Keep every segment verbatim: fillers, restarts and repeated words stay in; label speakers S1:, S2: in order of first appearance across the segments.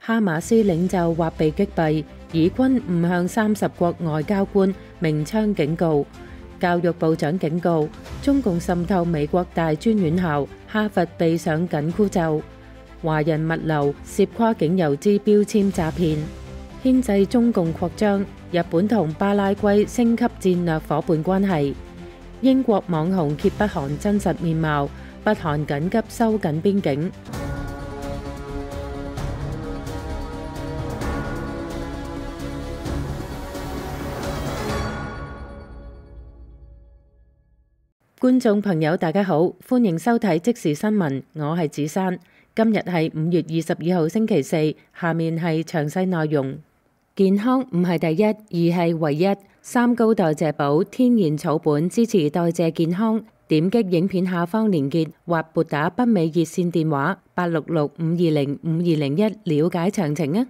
S1: 哈馬斯領袖或被擊斃，以軍誤向三十國外交官鳴槍警告。教育部長警告，中共滲透美國大專院校，哈佛備上緊箍咒。華人物流涉跨境郵資標籤詐騙，牽制中共擴張。日本同巴拉圭升級戰略夥伴關係。英國網紅揭北韓真實面貌，北韓緊急收緊邊境。觀眾朋友大家好，歡迎收睇即時新聞，我係子珊。今日係五月二十二號星期四，下面係詳細內容。健康唔係第一，而係唯一。三高代謝寶天然草本支持代謝健康。點擊影片下方連結或撥打北美熱線電話八六六五二零五二零一了解詳情啊！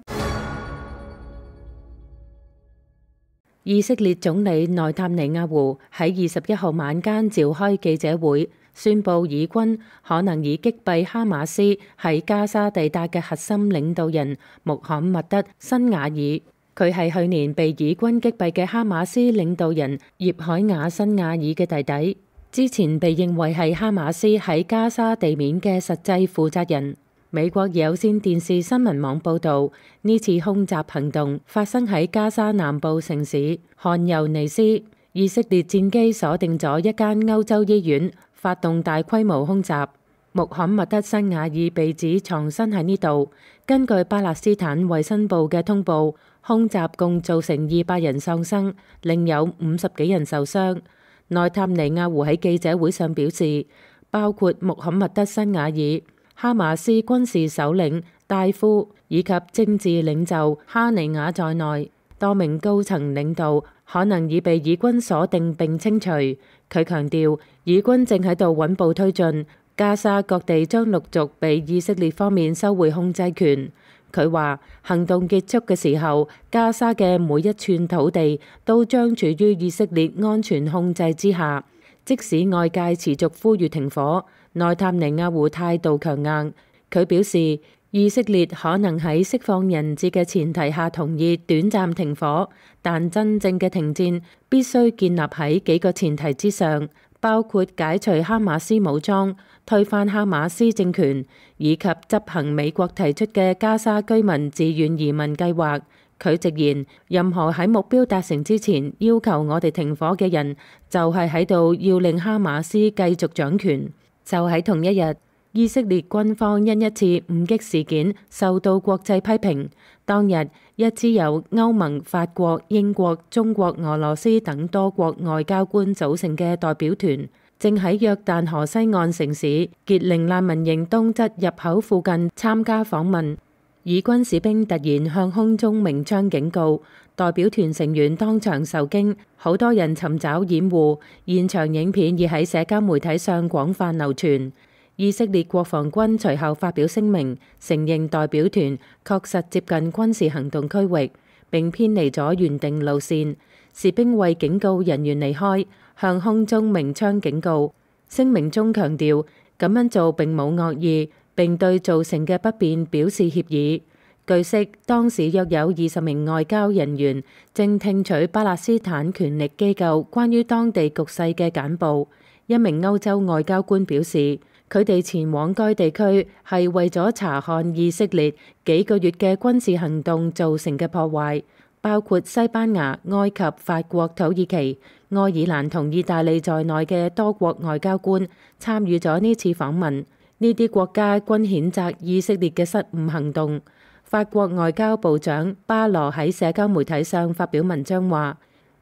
S1: 以色列總理內塔尼亞胡喺二十一號晚間召開記者會，宣布以軍可能已擊斃哈馬斯喺加沙地帶嘅核心領導人穆罕默德·辛瓦爾。佢係去年被以軍擊斃嘅哈馬斯領導人葉海亞·辛瓦爾嘅弟弟，之前被認為係哈馬斯喺加沙地面嘅實際負責人。美國有線電視新聞網報導，呢次空襲行動發生喺加沙南部城市汗尤尼斯。以色列戰機鎖定咗一間歐洲醫院，發動大規模空襲。穆罕默德·辛瓦爾被指藏身喺呢度。根據巴勒斯坦衛生部嘅通報，空襲共造成二百人喪生，另有五十幾人受傷。內塔尼亞胡喺記者會上表示，包括穆罕默德·辛瓦爾、哈馬斯軍事首領戴夫以及政治領袖哈尼亞在內，多名高層領導可能已被以軍鎖定並清除。佢強調，以軍正喺度穩步推進，加沙各地將陸續被以色列方面收回控制權。佢話，行動結束嘅時候，加沙嘅每一寸土地都將處於以色列安全控制之下。即使外界持續呼籲停火，內塔尼亞胡態度強硬。佢表示，以色列可能喺釋放人質嘅前提下同意短暫停火，但真正嘅停戰必須建立喺幾個前提之上，包括解除哈馬斯武裝、推翻哈馬斯政權，以及執行美國提出嘅加沙居民自願移民計劃。佢直言，任何喺目標達成之前要求我哋停火嘅人，就係喺度要令哈馬斯繼續掌權。就喺同一日，以色列軍方因一次誤擊事件受到國際批評。當日，一支由歐盟、法國、英國、中國、俄羅斯等多國外交官組成嘅代表團，正喺約旦河西岸城市傑寧難民營東側入口附近參加訪問。以軍士兵突然向空中鳴槍警告，代表團成員當場受驚，好多人尋找掩護。現場影片已喺社交媒體上廣泛流傳。以色列國防軍隨後發表聲明，承認代表團確實接近軍事行動區域，並偏離咗原定路線。士兵為警告人員離開，向空中鳴槍警告。聲明中強調，咁樣做並冇惡意，並對造成嘅不便表示歉意。據悉，當時約有二十名外交人員正聽取巴勒斯坦權力機構關於當地局勢嘅簡報。一名歐洲外交官表示，佢哋前往該地區係為咗查看以色列幾個月嘅軍事行動造成嘅破壞，包括西班牙、埃及、法國、土耳其、愛爾蘭同意大利在內嘅多國外交官參與咗呢次訪問。呢啲國家均譴責以色列嘅失誤行動。法國外交部長巴羅喺社交媒體上發表文章話，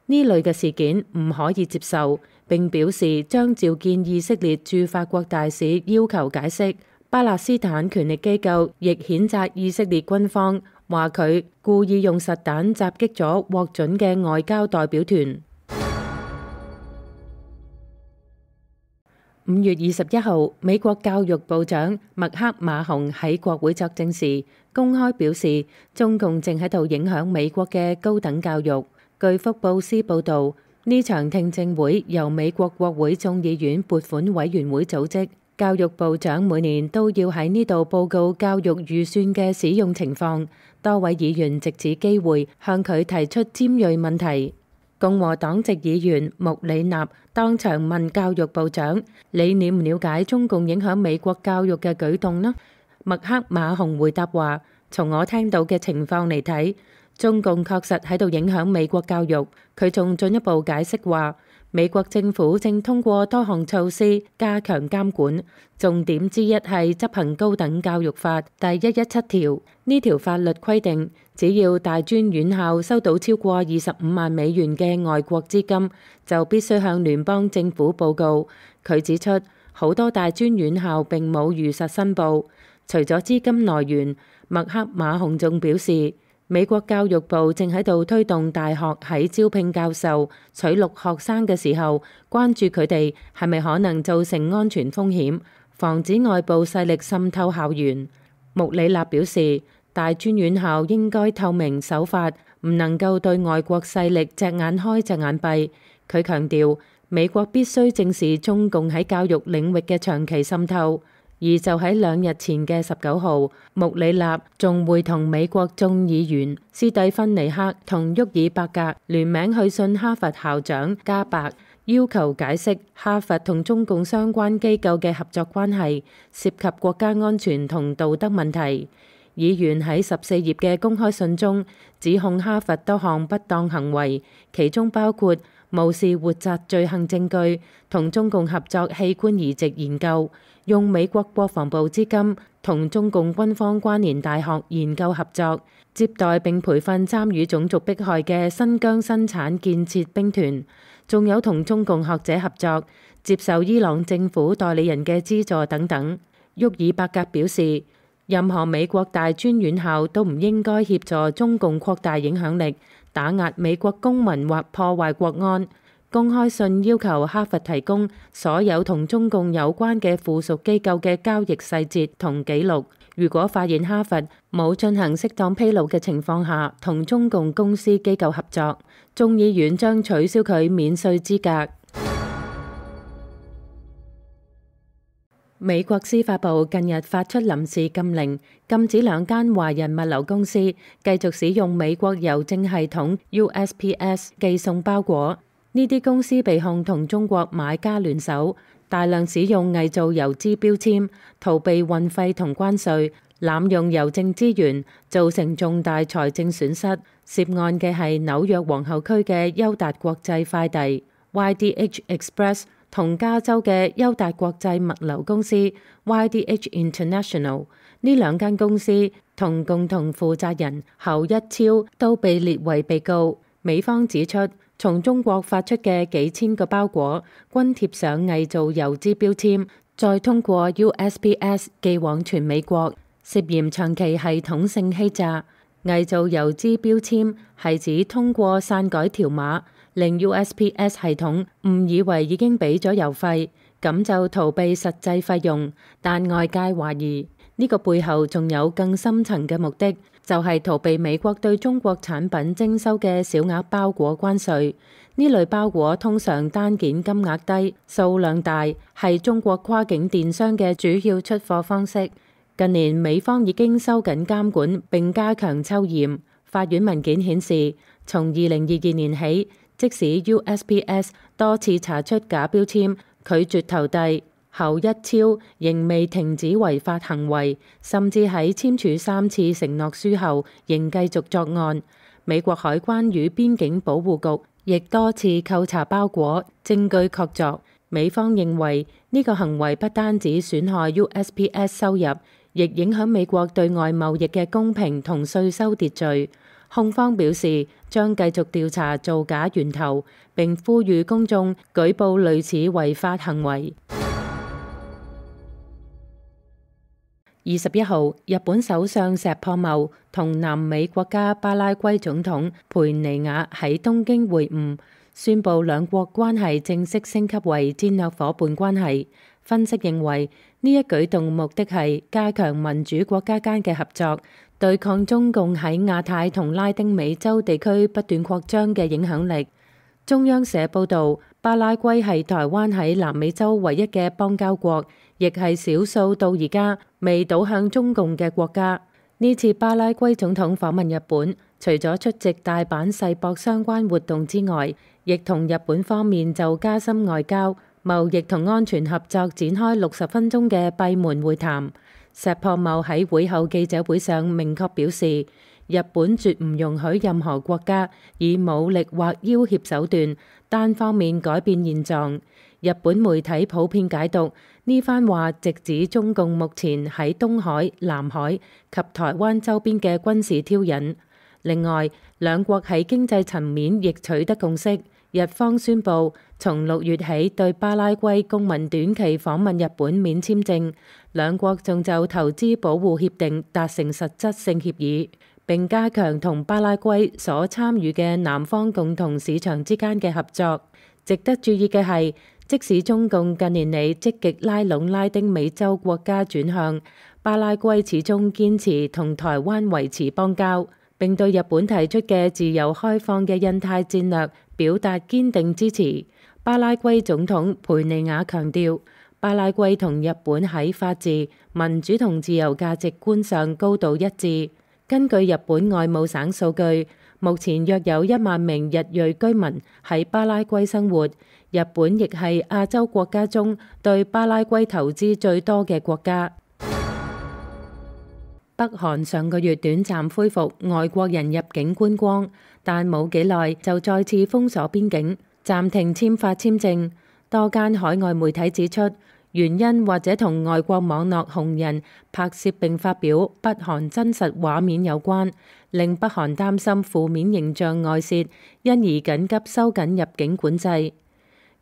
S1: 呢類嘅事件唔可以接受，並表示將召見以色列駐法國大使要求解釋。巴勒斯坦權力機構亦譴責以色列軍方，話佢故意用實彈襲擊咗獲准嘅外交代表團。五月二十一號，美國教育部長麥克馬洪喺國會作證時，公開表示中共正喺度影響美國嘅高等教育。據福布斯報導，呢場聽證會由美國國會眾議院撥款委員會組織。教育部長每年都要喺呢度報告教育預算嘅使用情況，多位議員藉此機會向佢提出尖銳問題。共和黨籍議員穆里納當場問教育部長：你了唔了解中共影響美國教育嘅舉動呢？麥克馬洪回答話：從我聽到嘅情況嚟睇，中共確實喺度影響美國教育。佢仲進一步解釋話，美國政府正通過多項措施加強監管，重點之一係執行高等教育法第一一七條。呢條法律規定，只要大專院校收到超過二十五萬美元嘅外國資金，就必須向聯邦政府報告。佢指出，好多大專院校並冇如實申報。除咗資金來源，麥克馬洪仲表示，美國教育部正喺度推動大學喺招聘教授、取錄學生嘅時候，關注佢哋係咪可能造成安全風險，防止外部勢力滲透校園。穆里納表示，大專院校應該透明守法，唔能夠對外國勢力隻眼開隻眼閉。佢強調，美國必須正視中共喺教育領域嘅長期滲透。而就喺兩日前嘅十九號，穆里納仲會同美國眾議員斯蒂芬尼克同沃爾伯格聯名去信哈佛校長加伯，要求解釋哈佛同中共相關機構嘅合作關係涉及國家安全同道德問題。議員喺十四頁嘅公開信中指控哈佛多項不當行為，其中包括無視活摘罪行證據，同中共合作器官移植研究，用美國國防部資金同中共軍方關聯大學研究合作，接待並培訓參與種族迫害嘅新疆生產建設兵團，仲有同中共學者合作，接受伊朗政府代理人嘅資助等等。沃爾伯格表示，任何美國大專院校都唔應該協助中共擴大影響力，打壓美國公民或破壞國安。公開信要求哈佛提供所有同中共有關嘅附屬機構嘅交易細節同記錄。如果發現哈佛冇進行適當披露嘅情況下同中共公司機構合作，眾議院將取消佢免稅資格。美國司法部近日發出臨時禁令，禁止兩間華人物流公司繼續使用美國郵政系統 U S P S 寄送包裹。呢啲公司被控同中國買家聯手，大量使用偽造郵資標籤，逃避運費同關稅，濫用郵政資源，造成重大財政損失。涉案嘅係紐約皇后區嘅優達國際快遞 Y D H Express 同加州嘅優達國際物流公司 Y D H International。呢兩間公司同共同負責人侯一超都被列為被告。美方指出，從中國發出嘅幾千個包裹均貼上偽造郵資標籤，再通過 U S P S 寄往全美國，涉嫌長期系統性欺詐。偽造郵資標籤係指通過篡改條碼，令 U S P S 系統誤以為已經俾咗郵費，咁就逃避實際費用。但外界懷疑呢個背後仲有更深層嘅目的，就係逃避美國對中國產品徵收嘅小額包裹關稅。呢類包裹通常單件金額低、數量大，係中國跨境電商嘅主要出貨方式。近年美方已經收緊監管並加強抽驗。法院文件顯示，從二零二二年起，即使 U S P S 多次查出假標籤，拒絕投遞，侯一超仍未停止違法行為，甚至喺簽署三次承諾書後，仍繼續作案。美國海關與邊境保護局亦多次扣查包裹，證據確鑿。美方認為呢個行為不單止損害 U S P S 收入，亦影響美國對外貿易嘅公平同稅收秩序。控方表示將繼續調查造假源頭，並呼籲公眾舉報類似違法行為。二十一號，日本首相石破茂同南美國家巴拉圭總統佩尼亞喺東京會晤，宣布兩國關係正式升級為戰略夥伴關係。分析認為，呢一舉動目的係加強民主國家間嘅合作，對抗中共喺亞太同拉丁美洲地區不斷擴張嘅影響力。中央社報導，巴拉圭係台灣喺南美洲唯一嘅邦交國，亦係少數到而家未倒向中共嘅國家。呢次巴拉圭總統訪問日本，除咗出席大阪世博相關活動之外，亦同日本方面就加深外交、貿易同安全合作展開六十分鐘嘅閉門會談。石破茂喺會後記者會上明確表示，日本絕唔容許任何國家以武力或要挾手段單方面改變現狀。日本媒體普遍解讀呢番話，直指中共目前喺東海、南海及台灣周邊嘅軍事挑釁。另外，兩國喺經濟層面亦取得共識。日方宣布從六月起對巴拉圭公民短期訪問日本免簽證，兩國仲就投資保護協定達成實質性協議，並加強同巴拉圭所參與嘅南方共同市場之間嘅合作。值得注意嘅係，即使中共近年嚟積極拉攏拉丁美洲國家轉向，巴拉圭始終堅持同台灣維持邦交，並對日本提出嘅自由開放嘅印太戰略表達堅定支持。巴拉圭總統佩尼亞強調，巴拉圭同日本喺法治、民主同自由價值觀上高度一致。根據日本外務省數據，目前約有一萬名日裔居民喺巴拉圭生活。日本亦係亞洲國家中對巴拉圭投資最多嘅國家。北韓上個月短暫恢復外國人入境觀光，但冇幾耐就再次封鎖邊境，暫停簽發簽證。多間海外媒體指出，原因或者同外國網絡紅人拍攝並發表北韓真實畫面有關，令北韓擔心負面形象外泄，因而緊急收緊入境管制。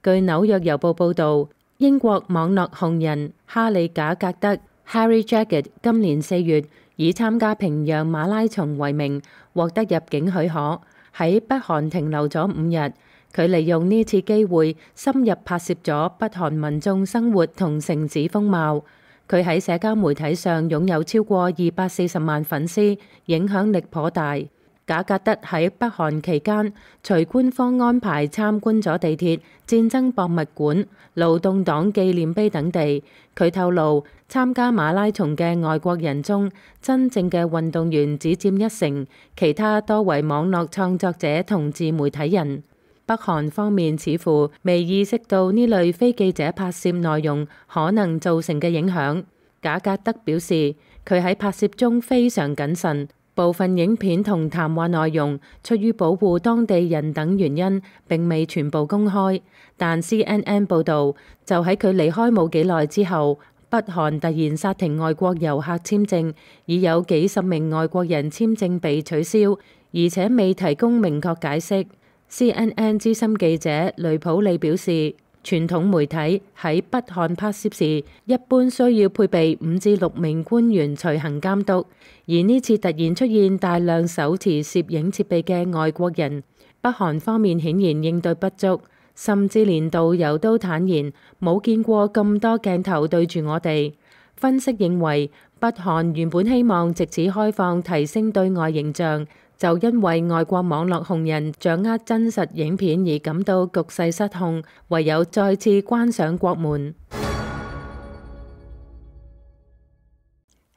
S1: 據紐約郵報報導，英國網絡紅人哈利賈格德 Harry Jagged 今年四月以參加平壤馬拉松為名獲得入境許可，喺北韓停留咗五日。佢利用呢次機會深入拍攝咗北韓民眾生活同城市風貌。佢喺社交媒體上擁有超過二百四十萬粉絲，影響力頗大。賈格德喺北韓期間，隨官方安排參觀咗地鐵、戰爭博物館、勞動黨紀念碑等地。佢透露，參加馬拉松嘅外國人中，真正嘅運動員只佔一成，其他多為網絡創作者同自媒體人。北韓方面似乎未意識到呢類非記者拍攝內容可能造成嘅影響。賈格德表示，佢喺拍攝中非常謹慎。部分影片同談話內容出於保護當地人等原因，並未全部公開。但 C N N 報導，就喺佢離開冇幾耐之後，北韓突然剎停外國遊客簽證，已有幾十名外國人簽證被取消，而且未提供明確解釋。C N N 資深記者雷普利表示，傳統媒體喺北韓拍攝時，一般需要配備五至六名官員隨行監督，而呢次突然出現大量手持攝影設備嘅外國人，北韓方面顯然應對不足，甚至連導遊都坦言冇見過咁多鏡頭對住我哋。分析認為，北韓原本希望藉此開放提升對外形象，就因為外國網絡紅人掌握真實影片而感到局勢失控，唯有再次關上國門。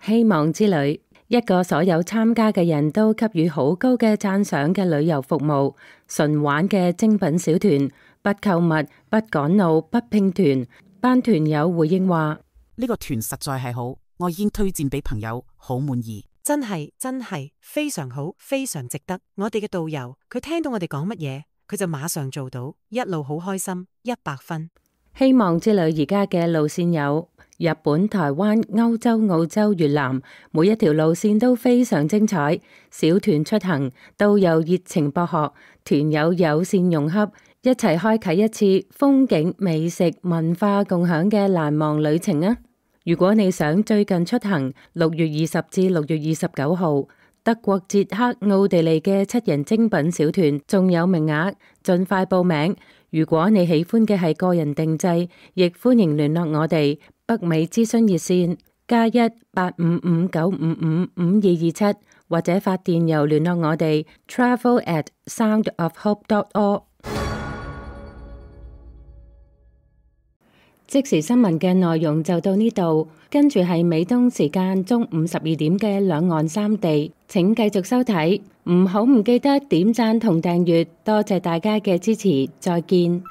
S1: 希望之旅，一個所有參加嘅人都給予好高嘅讚賞嘅旅遊服務，純玩嘅精品小團，不購物、不趕路、不拼團。班團友回應話：
S2: 呢個團實在係好，我已經推薦俾朋友，好滿意。
S3: 真係真係非常好，非常值得。我哋嘅導遊，佢聽到我哋講乜嘢，佢就馬上做到，一路好開心，一百分。
S1: 希望之旅而家嘅路線有日本、台灣、歐洲、澳洲、越南，每一條路線都非常精彩。小團出行，導遊熱情博學，團友友善融洽，一齊開啟一次風景、美食、文化共享嘅難忘旅程啊！如果你想最近出行，六月二十至六月二十九號，德國、捷克、奧地利嘅七人精品小團仲有名額，盡快報名。如果你喜歡嘅係個人定制，亦歡迎聯絡我哋北美諮詢熱線加一八五五九五五五二二七，或者發電郵聯絡我哋 travel at soundofhope dot org。即時新聞嘅內容就到呢度，跟住係美東時間中午十二點嘅兩岸三地，請繼續收睇，唔好唔記得點讚同訂閱，多謝大家嘅支持，再見。